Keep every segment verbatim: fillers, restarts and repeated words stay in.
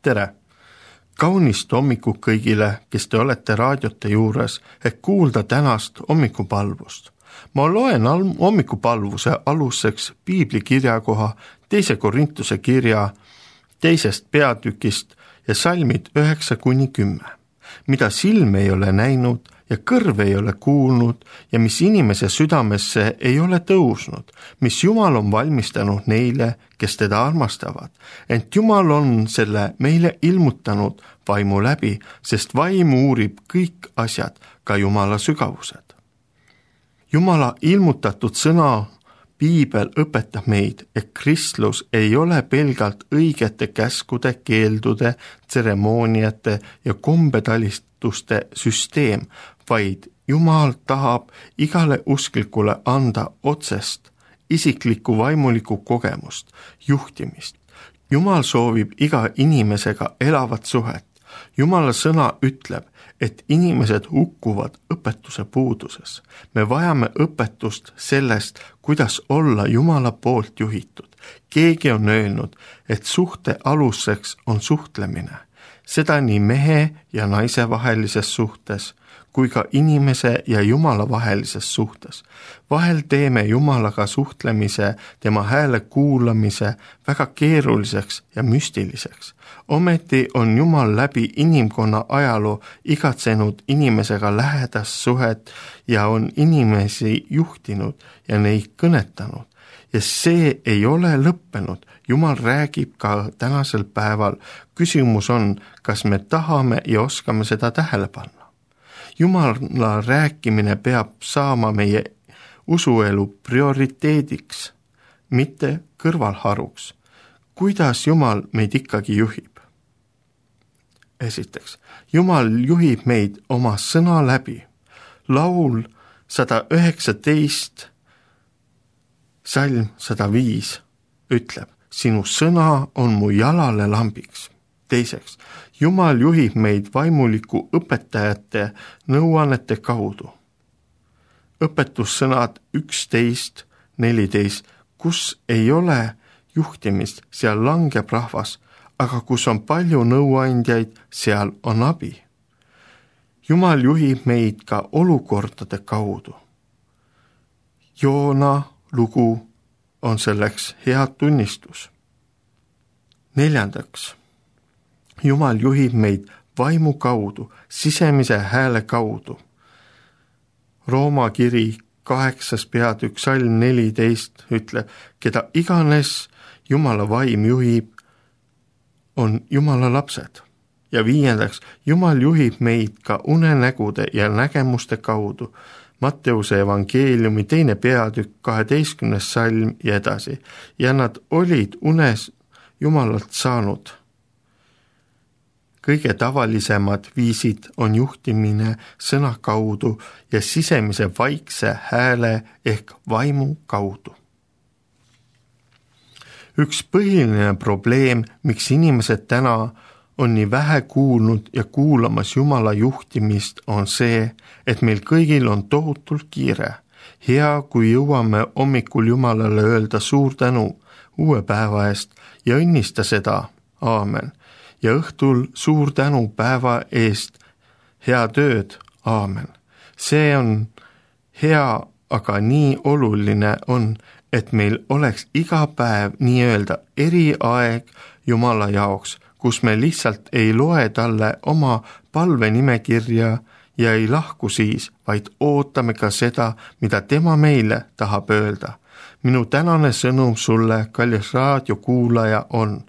tere! Kaunist hommikut kõigile, kes te olete raadiote juures, et kuulda tänast hommikupalvust. Ma loen hommikupalvuse aluseks piibli kirjakoha teise Korintuse kirja teisest peatükist ja salmid üheksa kuni kümme, mida silm ei ole näinud ja kõrv ei ole kuulnud ja mis inimese südamesse ei ole tõusnud, mis Jumal on valmistanud neile, kes teda armastavad. Ent Jumal on selle meile ilmutanud vaimu läbi, sest vaim uurib kõik asjad, ka Jumala sügavused. Jumala ilmutatud sõna Piibel õpetab meid, et kristlus ei ole pelgalt õigete käskude, keeldude, tseremooniate ja kombetalistuste süsteem, vaid Jumal tahab igale usklikule anda otsest, isiklikku vaimulikku kogemust, juhtimist. Jumal soovib iga inimesega elavat suhet. Jumala sõna ütleb, et inimesed hukkuvad õpetuse puuduses. Me vajame õpetust sellest, kuidas olla Jumala poolt juhitud. Keegi on öelnud, et suhte aluseks on suhtlemine. Seda nii mehe ja naise vahelises suhtes, kui ka inimese ja Jumala vahelises suhtes. Vahel teeme Jumalaga suhtlemise, tema hääle kuulamise väga keeruliseks ja müstiliseks. Ometi on Jumal läbi inimkonna ajaloo igatsenud inimesega lähedast suhet ja on inimesi juhtinud ja neid kõnetanud. Ja see ei ole lõppenud. Jumal räägib ka tänasel päeval. Küsimus on, kas me tahame ja oskame seda tähele panna. Jumala rääkimine peab saama meie usuelu prioriteediks, mitte kõrvalharuks. Kuidas Jumal meid ikkagi juhib? Esiteks, Jumal juhib meid oma sõna läbi. Laul sada üheksateist, salm sada viis ütleb, sinu sõna on mu jalale lambiks. Teiseks, Jumal juhib meid vaimuliku õpetajate nõuannete kaudu. Õpetussõnad üksteist, neliteist, kus ei ole juhtimist, seal langeb rahvas, aga kus on palju nõuandjaid, seal on abi. Jumal juhib meid ka olukordade kaudu. Joona lugu on selleks hea tunnistus. Neljandaks, Jumal juhib meid vaimu kaudu, sisemise hääle kaudu. Rooma kiri kaheksas peatükk salm neliteist ütleb, keda iganes Jumala vaim juhib, on Jumala lapsed. Ja viiendaks, Jumal juhib meid ka unenägude ja nägemuste kaudu. Matteuse evangeeliumi teine peatükk kaheteistkümnes salm ja edasi. Ja nad olid unes Jumalalt saanud. Kõige tavalisemad viisid on juhtimine sõna kaudu ja sisemise vaikse hääle ehk vaimu kaudu. Üks põhiline probleem, miks inimesed täna on nii vähe kuulnud ja kuulamas Jumala juhtimist, on see, et meil kõigil on tohutult kiire. Hea, kui jõuame hommikul Jumalale öelda suur tänu uue päeva eest ja õnnista seda. Aamen. Ja õhtul suur tänu päeva eest, hea tööd, aamen. See on hea, aga nii oluline on, et meil oleks iga päev nii-öelda eriaeg Jumala jaoks, kus me lihtsalt ei loe talle oma palvenimekirja ja ei lahku siis, vaid ootame ka seda, mida tema meile tahab öelda. Minu tänane sõnum sulle, kallis raadiokuulaja, on,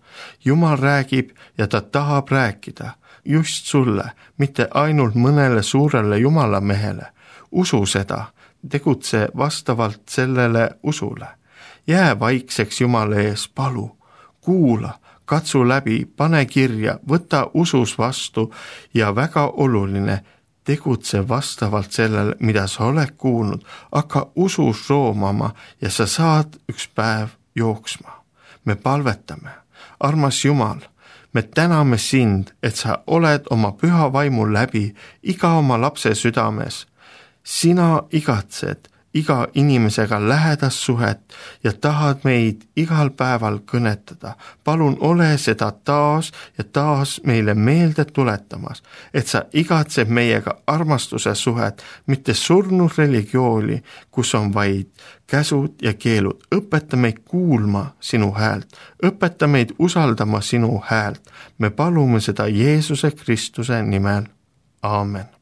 Jumal räägib ja ta tahab rääkida just sulle, mitte ainult mõnele suurele Jumala mehele. Usu seda, tegutse vastavalt sellele usule. Jää vaikseks Jumala ees, palu, kuula, katsu läbi, pane kirja, võta usus vastu ja väga oluline, tegutse vastavalt sellele, mida sa oled kuulnud, hakka usus roomama ja sa saad üks päev jooksma. Me palvetame. Armas Jumal, me täname sind, et sa oled oma püha vaimu läbi iga oma lapse südames. Sina igatsed iga inimesega lähedast suhet ja tahad meid igal päeval kõnetada. palun ole seda taas ja taas meile meelde tuletamas, et sa igatseb meiega armastuse suhet, mitte surnud religiooni, kus on vaid käsud ja keelud. õpeta meid kuulma sinu häält, õpeta meid usaldama sinu häält. me palume seda Jeesuse Kristuse nimel. Aamen.